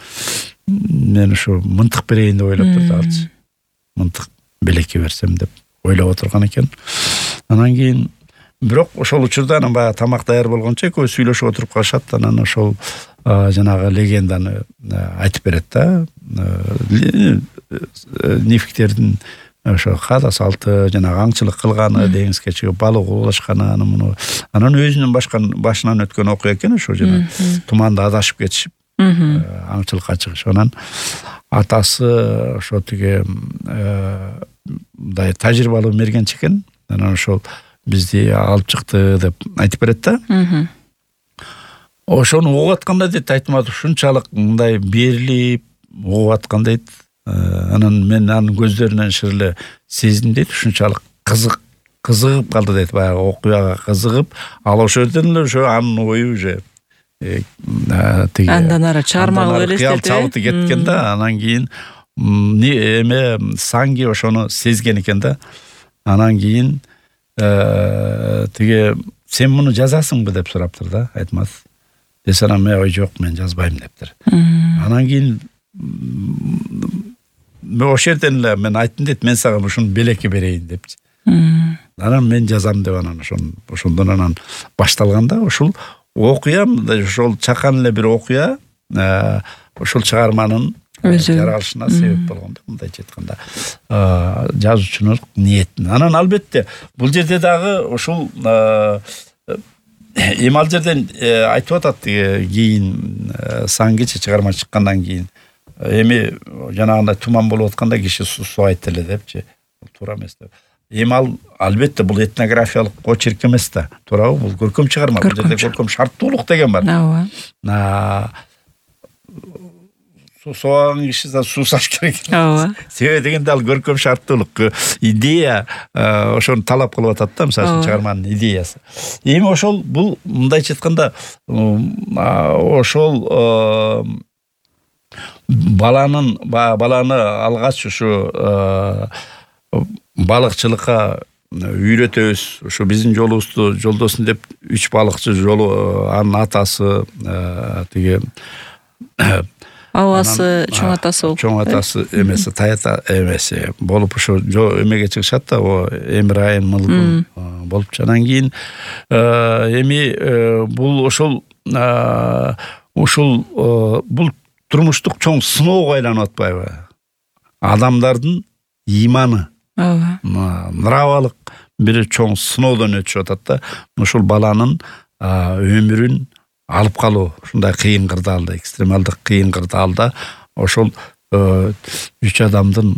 мен ушу мынтык берейин деп ойлоптур да алчы. Мынтык белекке берсем деп ойлоп отурган экен. Анан кийин бирок ошол учурда анан баягы тамак даяр болгончо экөө сүйлөшүп отуруп калышат. Анан ошол жанагы легенданы айтып берет да. Нефиктердин ошо каада салты, жанагы аңчылык кылганы, деңизге чыгып балык оолашканы, аны муну. Анан өзүнүн башынан өткөн окуя экен ошо, жана туманда адашып кетишип аңчылыкка чыгыш. Анан атасы ошо тиги мындай тажрыйбалуу мергенчи экен. Анан ошол бизди алып чыкты деп айтып берет да. Ошону угуп атканда дейт Айтматов ушунчалык мындай берилип угуп аткан дейт. Анан мен анын көздөрүнөн шырлы сездим дейт, ушунчалык кызык кызыгып калды дейт, баягы окуяга кызыгып, ал ошол жерден эле ошо анын ою уже тиги андан ары чыгармага элестетип чабыты кеткен да. Анан кийин эме Санги ошону сезген экен да. Анан кийин тиги сен муну жазасыңбы деп сураптыр да Айтматов. Десе анан мен ой жок, мен жазбайм дептир. Анан кийин мен ошол жерден эле мен айттым дейт, мен сага ушуну белекке берейин депчи. Анан мен жазам деп анан ошон ошондон анан башталганда ошол окуя, ошол чакан эле бир окуя ошол чыгарманын жаралышына себеп болгон да, мындайча айтканда жазуучунун ниетин. Анан албетте бул жерде дагы ошол эми ал жерден айтып атат кийин Сангичи чыгарма чыккандан кийин эми жанагындай туман болуп атканда киши сууайт эле депчи. Туура эмес деп. Эми ал албетте бул этнографиялык очерк эмес да, туурабы? Бул көркөм чыгарма. Бул жерде көркөм шарттуулук деген бар. Ооба. Суу сооган киши да суу саш керек. Ооба. Себеби дегенде ал көркөм шарттуулук, идея ошону талап кылып атат да, мисалы чыгарманын идеясы. Эми ошол бул мындайча айтканда ошол баланын баланы алгач ушу балыкчылыкка үйрөтөбүз, ушу биздин жолубузду жолдосун деп үч балыкчы жолу, анын атасы тиги абасы, чоң атасы болуп, чоң атасы эмеси, таята эмеси болуп ошо эмеге чыгышат да, о Эмирайым Мылгун болуп. Анан кийин эми бул ошол ушул бул турмуштук чоң сыноого айланып атпайбы? Адамдардын иманы, нравалык бир чоң сыноодон өтүшүп атат да. Ушул баланын өмүрүн алып калуу ушундай кыйын кырдаалда, экстремалдык кыйын кырдаалда ошол үч адамдын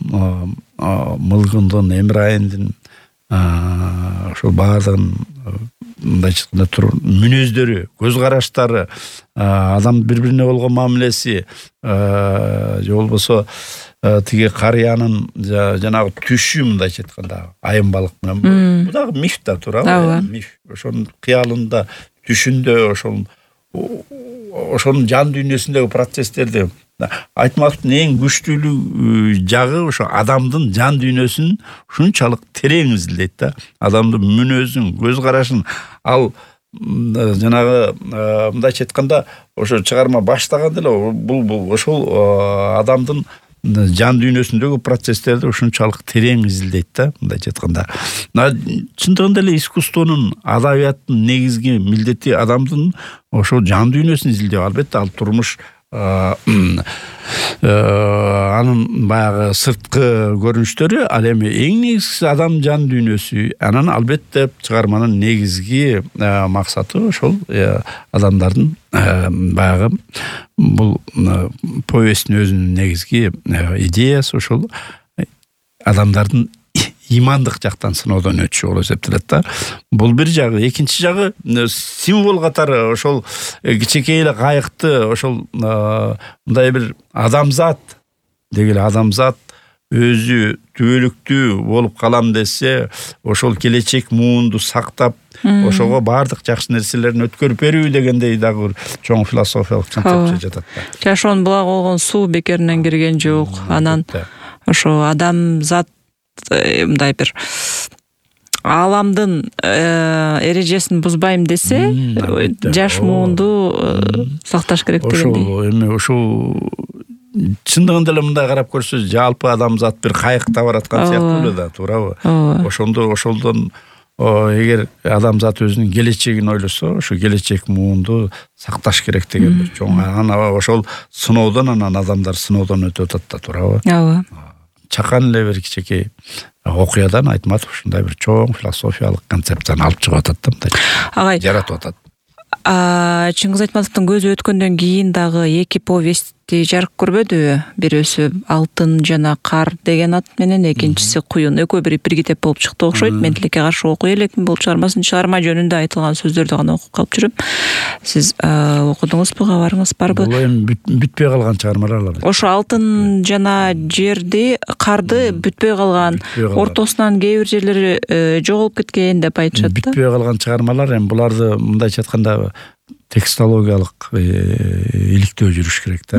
мылгындын, эмирайымдын ошол баардыгын мындай айтканда туруп мүнөздөрү, көз караштары, адам бири-бирине болгон мамилеси, же болбосо тиги карыянын жанагы түшү мындай айтканда айым балык менен бул дагы миф да туурабы? Миф. Ошонун кыялында, түшүндө ошол ошонун жан дүйнөсүндөгү процесстерди Айтматовдун эң күчтүүлүү жагы ошо адамдын жан дүйнөсүн ушунчалык терең изилдейт да. Адамдын мүнөзүн, көз карашын ал жанагы мындайча айтканда ошо чыгарма баштаганда эле бул ошол адамдын жан дүйнөсүндөгү процесстерди ушунчалык терең изилдейт да, мындайча айтканда. Чындыгында эле искусствонун, адабияттын негизги милдети адамдын ошо жан дүйнөсүн изилдөө. Албетте ал турмуш анын баягы сырткы көрүнүштөрү, ал эми эң негизгиси адам жан дүйнөсү. Анан албетте чыгарманын негизги максаты ошол адамдардын баягы бул повесттин өзүнүн негизги идеясы ошол адамдардын имандык жактан сыноодон өтүшү болуп эсептелет да. Бул бир жагы. Экинчи жагы символ катары ошол кичинекей эле кайыкты ошол мындай бир адамзат дегеле адамзат өзү түбөлүктүү болуп калам десе, ошол келечек муунду сактап, ошого баардык жакшы нерселерин өткөрүп берүү дегендей дагы бир чоң философиялык концепция жатат да. Жашоонун булагы болгон суу бекеринен кирген жок. Анан ошо адамзат мындай бир аламдын эрежесин бузбайм десе, жаш муунду сакташ керек дегендей. Ошол эми ошол чындыгында эле мындай карап көрсөз, жалпы адамзат бир кайыкта бараткан сыяктуу эле да, туурабы? Ошондо ошолдон эгер адамзат өзүнүн келечегин ойлосо, ошо келечек муунду сакташ керек деген бир чоң. Анан ошол сыноодон анан адамдар сыноодон өтүп атат да, туурабы? Ооба. Чакан эле бир кичинекей окуядан Айтматов ушундай бир чоң философиялык концепцияны алып чыгып атат да, мындай. Агай. Жаратып атат. Чыңгыз Айтматовдун көзү өткөндөн кийин дагы эки повестти жарык көрбөдүбү? Бирөөсү Алтын жана Кар деген ат менен, экинчиси Куюн. Экөө бир бир китеп болуп чыкты окшойт. Мен тилекке каршы окуй элекмин бул чыгармасын. Чыгарма жөнүндө айтылган сөздөрдү гана окуп калып жүрөм. Сиз окудуңузбу, кабарыңыз барбы? Бул эми бүтпөй калган чыгармалар. Ошо Алтын жана Жерди, Карды бүтпөй калган, ортосунан кээ бир жерлери жоголуп кеткен деп айтышат да. Бүтпөй калган чыгармалар, эми буларды мындайча айтканда текстологиялык иликтөө жүрүш керек да.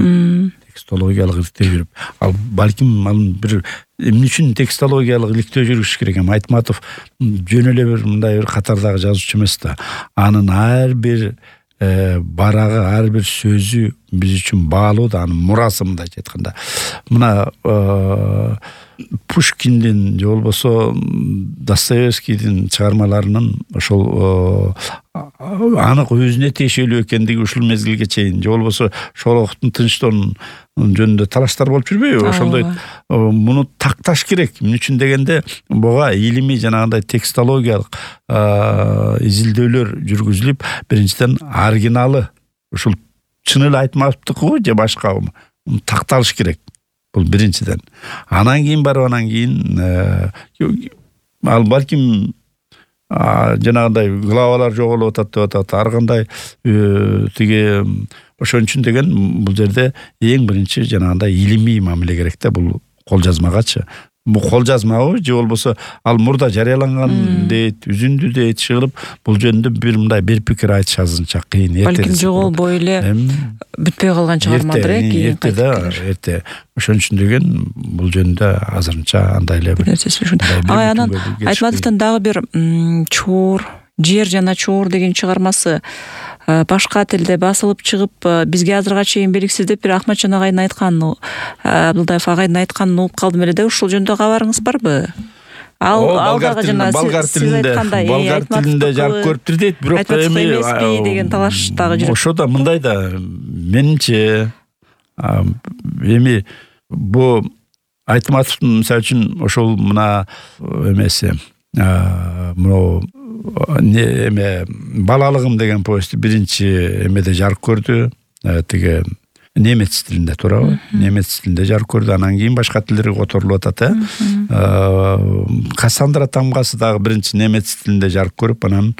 Текстологиялык иликтөө жүрүп, ал балким ал бир эмне үчүн текстологиялык иликтөө жүрүш керек? Эми Айтматов жөн эле бир мындай бир катардагы жазуучу эмес да. Анын ар бир барагы, ар бир сөзү биз үчүн баалуу да, анын мурасы мындайча айтканда. Мына Пушкиндин же болбосо Достоевскийдин чыгармаларынын ошол анык өзүнө тиешелүү экендиги ушул мезгилге чейин, же болбосо Шолоховдун Тынчтоонун жөнүндө талаштар болуп жүрбөйбү? Ошондой муну такташ керек. Эмне үчүн дегенде, буга илимий жанагындай текстологиялык изилдөөлөр жүргүзүлүп, биринчиден оригиналы ушул чын эле Айтматовдуку же башкабы такталыш керек. Бул биринчиден. Анан кийин барып, анан кийин ал балким жанагындай главалар жоголуп атат деп атат. Ар кандай тиги ошон үчүн деген бул жерде эң биринчи жанагындай илимий мамиле керек да, бул кол жазмагачы. Бул кол жазмабы же болбосо ал мурда жарыяланган дейт, үзүндү дейт, чыгылып, бул жөнүндө бир мындай бир пикир айтыш азырынча кыйын. Балким жоголбой эле бүтпөй калган чыгармадыр э, кийин кайтып келер. Эрте. Ошон үчүн деген бул жөнүндө азырынча андай эле бир нерсеси ушун. Ага, анан Айтматовдун дагы бир Чуур, Жер жана Чуур деген чыгармасы башка тилде басылып чыгып, бизге азырга чейин белгисиз деп бир Ахматжан агайдын айтканын, Абдылдаев агайдын айтканын угуп калдым эле да. Ушул жөнүндө кабарыңыз барбы? Ал алдагы жана болгар тилинде, болгар тилинде жарык көрүптүр дейт, бирок эми деген талаш дагы жүрөт. Ошо да мындай да, менимче эми бу Айтматовдун мисалы үчүн ошол мына эмеси, мына эме балалыгым деген повести биринчи эмеде жарык көрдү. Тиги немец тилинде туурабы? Немец тилинде жарык көрдү. Анан кийин башка тилдерге которулуп атат, э. Кассандра тамгасы дагы биринчи немец тилинде жарык көрүп, анан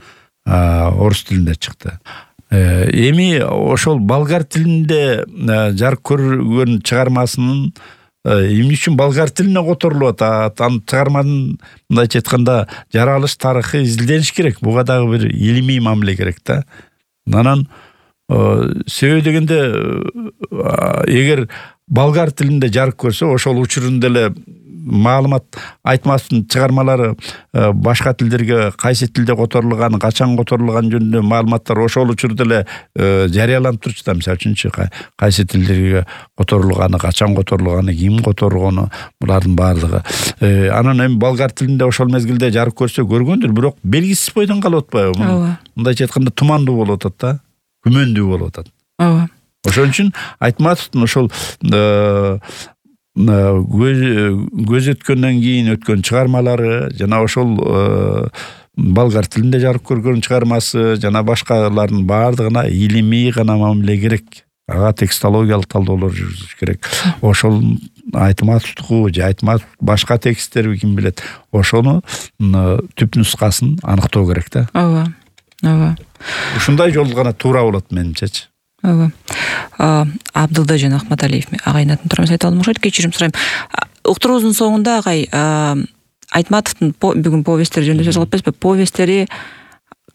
орус тилинде чыкты. Эми ошол болгар тилинде жарык көргөн чыгармасынын эмне үчүн болгар тилине которулуп атат? Анын чыгарманын мындайча айтканда жаралыш тарыхы изилдениш керек. Буга дагы бир илимий мамиле керек да. Анан себеби дегенде эгер болгар тилинде жарык көрсө, ошол учурунда эле маалымат Айтматовдун чыгармалары башка тилдерге кайсы тилде которулган, качан которулган жөнүндө маалыматтар ошол учурда эле жарыяланып турчу да. Мисалы үчүн кайсы тилдерге которулганы, качан которулганы, ким которгону, булардын баардыгы. Анан эми болгар тилинде ошол мезгилде жарык көрсө көргөндүр, бирок белгисиз бойдон калып атпайбы? Ооба. Мындайча айтканда тумандуу болуп атат да, күмөндүү болуп атат. Ооба. Ошон үчүн Айтматовдун ошол көз өткөндөн кийин өткөн чыгармалары жана ошол болгар тилинде жарык көргөн чыгармасы жана башкалардын баардыгына илимий гана мамиле керек. Ага текстологиялык талдаулар жүргүзүш керек. Ошол Айтматовдуку же Айтматов башка тексттерби ким билет, ошону түп нускасын аныктоо керек да. Ооба. Ооба. Ушундай жол гана туура болот менимчечи. Ооба. Абдылда жана Акматалиев агайын атын туурабыз айта алмакчы, кечирим сурайм. Уктуруубуздун соңунда агай Айтматовдун бүгүн повесттери жөнүндө сөз кылып атпайбызбы? Повесттери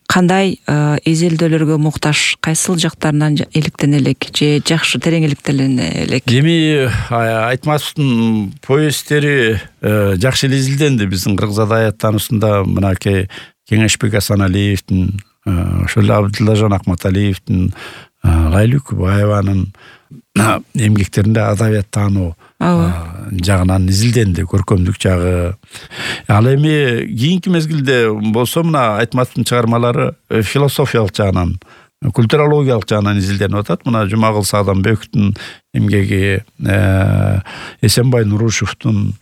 кандай изилдөөлөргө муктаж, кайсыл жактарынан иликтене элек же жакшы терең иликтене элек? Эми Айтматовдун повесттери жакшы эле изилденди. Биздин кыргыз адабияттануусунда мынакей Кеңешбек Асаналиевдин, ошол эле Абдыллажан Акматалиевдин, Лайлы Күбаеванын эмгектеринде адабият таануу жагынан изилденди, көркөмдүк жагы. Ал эми кийинки мезгилде болсо мына Айтматовдун чыгармалары философиялык жагынан, культурологиялык жагынан изилденип атат. Мына Жумагул Сагданбековдун эмгеги, Эсенбай Нурушевдун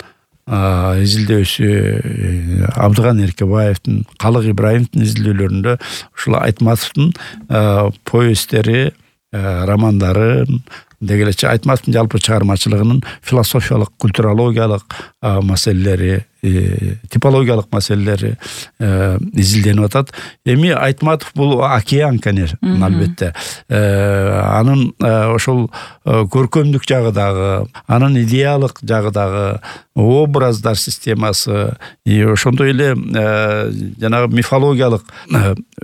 изилдөөсү, Абдыган Эркебаевдин, Калык Ибраимовдун изилдөөлөрүндө ушул Айтматовдун повесттери, романдары дегелечи Айтматовдун жалпы чыгармачылыгынын философиялык, культурологиялык маселелери, типологиялык маселелери изилденип атат. Эми Айтматов бул океан, конечно, албетте. Анын ошол көркөмдүк жагы дагы, анын идеялык жагы дагы, образдар системасы, ошондой эле жанагы мифологиялык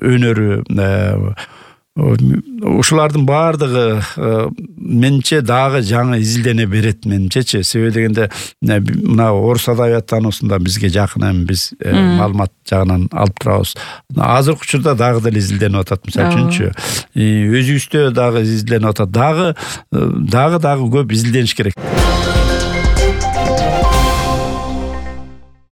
өнөрү, ушулардын баардыгы менимче дагы жаңы изилдене берет менимчечи. Себеби дегенде мына орус адабияттануусунда бизге жакын, эми биз маалымат жагынан алып турабыз. Азыркы учурда дагы деле изилденип атат. Мисалы үчүнчү, өзүбүздө дагы изилденип атат. Дагы дагы дагы көп изилдениш керек.